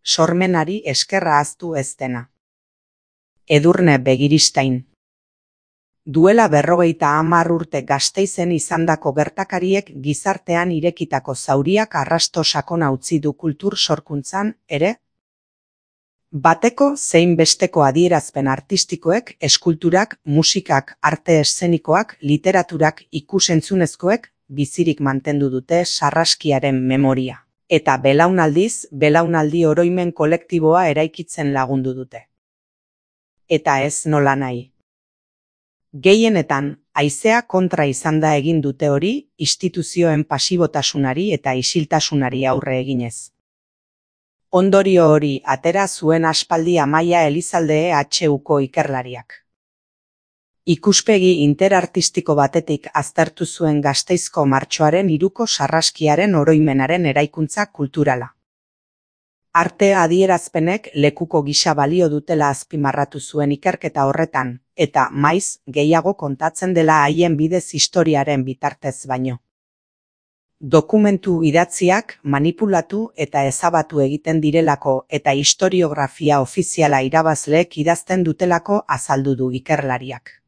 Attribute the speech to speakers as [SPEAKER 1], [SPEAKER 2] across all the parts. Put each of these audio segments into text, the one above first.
[SPEAKER 1] sormenari eskerra ahaztu ez dena. Edurne Begiristain. Duela 50 urte Gasteizen izandako gertakariek gizartean irekitako zauriak arrasto sakona utzi du kultur sorkuntzan ere. Bateko zein besteko adierazpen artistikoek, eskulturak, musikak, arte eszenikoak, literaturak, ikusentzunezkoek bizirik mantendu dute sarraskiaren memoria. Eta belaunaldiz, belaunaldi oroimen kolektiboa eraikitzen lagundu dute. Eta ez nola nahi. Gehienetan, haizea kontra izan da egin dute hori, instituzioen pasibotasunari eta isiltasunari aurre eginez. Ondorio hori atera zuen aspaldi Amaia Elizalde EHUko ikerlariak. Ikuspegi interartistiko batetik aztertu zuen Gasteizko martxoaren 3ko sarraskiaren oroimenaren eraikuntza kulturala. Arte adierazpenek lekuko gisa balio dutela azpimarratu zuen ikerketa horretan, eta maiz gehiago kontatzen dela haien bidez historiaren bitartez baino. Dokumentu idatziak manipulatu eta ezabatu egiten direlako eta historiografia ofiziala irabazleek idazten dutelako azaldu du ikerlariak.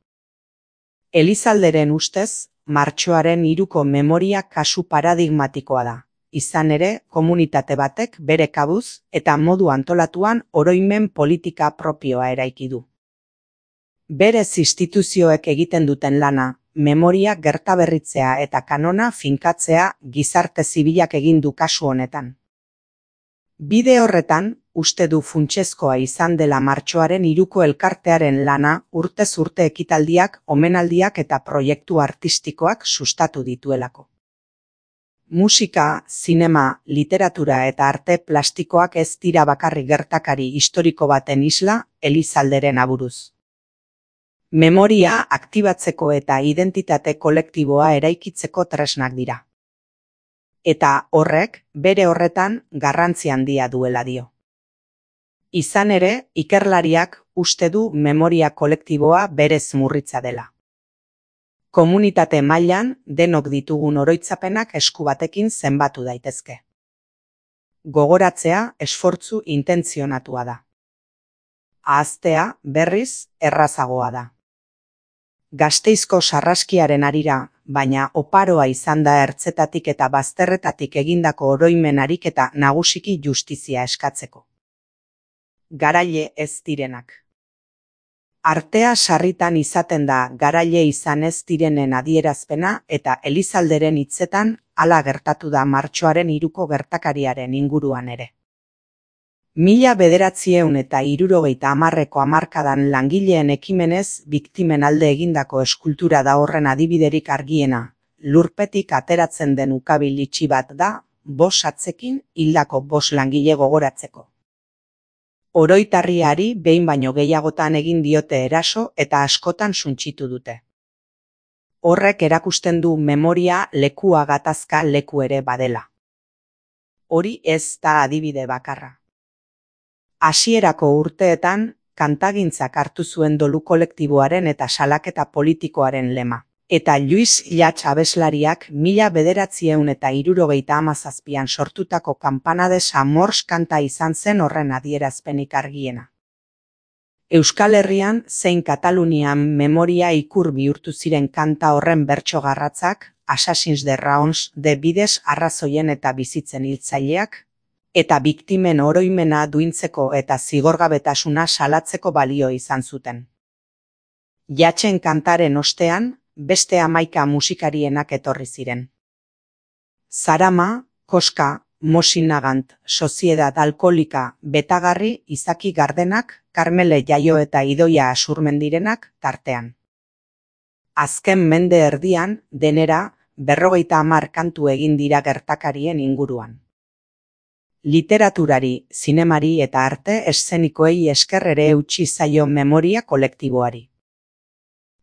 [SPEAKER 1] Elizalderen ustez, martxoaren 3ko memoria kasu paradigmatikoa da. Izan ere, komunitate batek bere kabuz eta modu antolatuan oroimen politika propioa eraiki du. Berez instituzioek egiten duten lana, memoria gertaberritzea eta kanona finkatzea gizarte zibilak egin du kasu honetan. Bide horretan, uste du funtsezkoa izan dela martxoaren 3ko elkartearen lana urtez urte ekitaldiak, omenaldiak eta proiektu artistikoak sustatu dituelako. Musika, zinema, literatura eta arte plastikoak ez dira bakarrik gertakari historiko baten isla Elizalderen aburuz. Memoria aktibatzeko eta identitate kolektiboa eraikitzeko tresnak dira. Eta horrek, bere horretan, garrantzi handia duela dio. Izan ere, ikerlariak uste du memoria kolektiboa berez murritza dela. Komunitate mailan denok ditugun oroitzapenak esku batekin zenbatu daitezke. Gogoratzea esfortzu intentzionatua da. Ahaztea, berriz, errazagoa da. Gasteizko sarraskiaren harira, baina oparoa izan da ertzetatik eta bazterretatik egindako oroimen ariketa nagusiki justizia eskatzeko. Garaile ez direnak. Artea sarritan izaten da garaile izan ez direnen adierazpena eta Elizalderen hitzetan hala gertatu da martxoaren 3ko gertakariaren inguruan ere. 1970ko hamarkadan langileen ekimenez biktimen alde egindako eskultura da horren adibiderik argiena, lurpetik ateratzen den ukabil itxi bat da, 5 atzekin hildako 5 langile gogoratzeko. Oroitarriari behin baino gehiagotan egin diote eraso eta askotan suntsitu dute. Horrek erakusten du memoria lekua gatazka leku ere badela. Hori ez da adibide bakarra. Hasierako urteetan, kantagintzak hartu zuen dolu kolektiboaren eta salaketa politikoaren lema. Eta Luis Llach abeslariak 1977an sortutako Campana de Samors kanta izan zen horren adierazpenik argiena. Euskal Herrian zein Katalunian memoria ikur bihurtu ziren kanta horren bertso garratzak, Assassins de Raons de bidez arrazoien eta bizitzen hiltzaileak, eta biktimen oroimena duintzeko eta zigorgabetasuna salatzeko balio izan zuten. Llachen kantaren ostean, beste 11 musikarienak etorri ziren. Zarama, Koska, Mosinagant, Soziedad Alkolika, Betagarri, Izaki Gardenak, Karmele Jaio eta Idoia Asurmendirenak tartean. Azken mende erdian, denera, 50 kantu egin dira gertakarien inguruan. Literaturari, zinemari eta arte eszenikoei esker ere eutsi zaio memoria kolektiboari.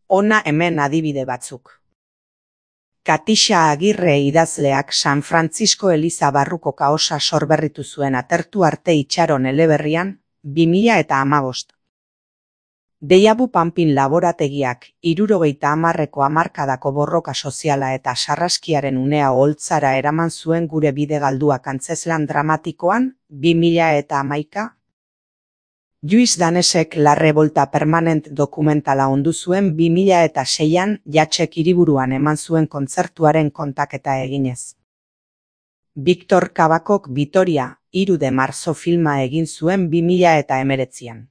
[SPEAKER 1] Hona hemen adibide batzuk. Katixa Agirre idazleak San Francisco Eliza barruko kaosa sorberritu zuen atertu arte itxaron eleberrian, 2015. Deiabu Panpin laborategiak 70ko hamarkadako borroka soziala eta sarraskiaren unea oholtzara eraman zuen gure bide galduak antzezlan dramatikoan 2011. Lluís Danesek La Revolta Permanent dokumentala ondu zuen 2006an Jatxek hiriburuan eman zuen kontzertuaren kontaketa eginez. Victor Kabakok Vitoria, 3 de marzo filma egin zuen 2019an.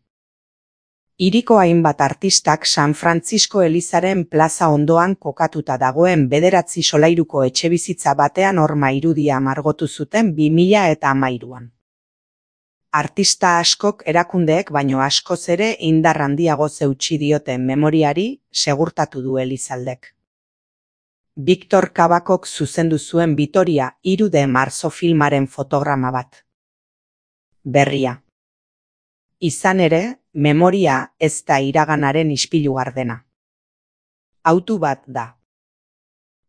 [SPEAKER 1] Hiriko hainbat artistak San Francisco elizaren plaza ondoan kokatuta dagoen 9 solairuko etxebizitza batean horma irudia margotu zuten 2013an. Artista askok erakundeek baino askoz ere indar handiago eutsi dioten memoriari, segurtatu du Elizaldek. Victor Kabakok zuzendu zuen Vitoria, 3 de marzo filmaren fotograma bat. Berria. Izan ere, memoria ez da iraganaren ispilu gardena. Autu bat da.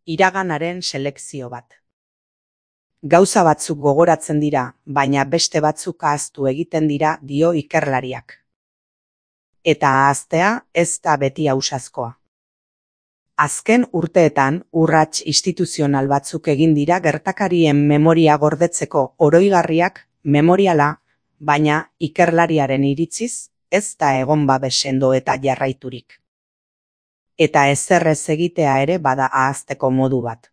[SPEAKER 1] Iraganaren selekzio bat. Gauza batzuk gogoratzen dira, baina beste batzuk ahaztu egiten dira, dio ikerlariak. Eta ahaztea ez da beti ausazkoa. Azken urteetan urrats instituzional batzuk egin dira gertakarien memoria gordetzeko oroigarriak, memoriala, baina ikerlariaren iritziz ez da egon babes sendo eta jarraiturik. Eta ezer ez egitea ere bada ahazteko modu bat.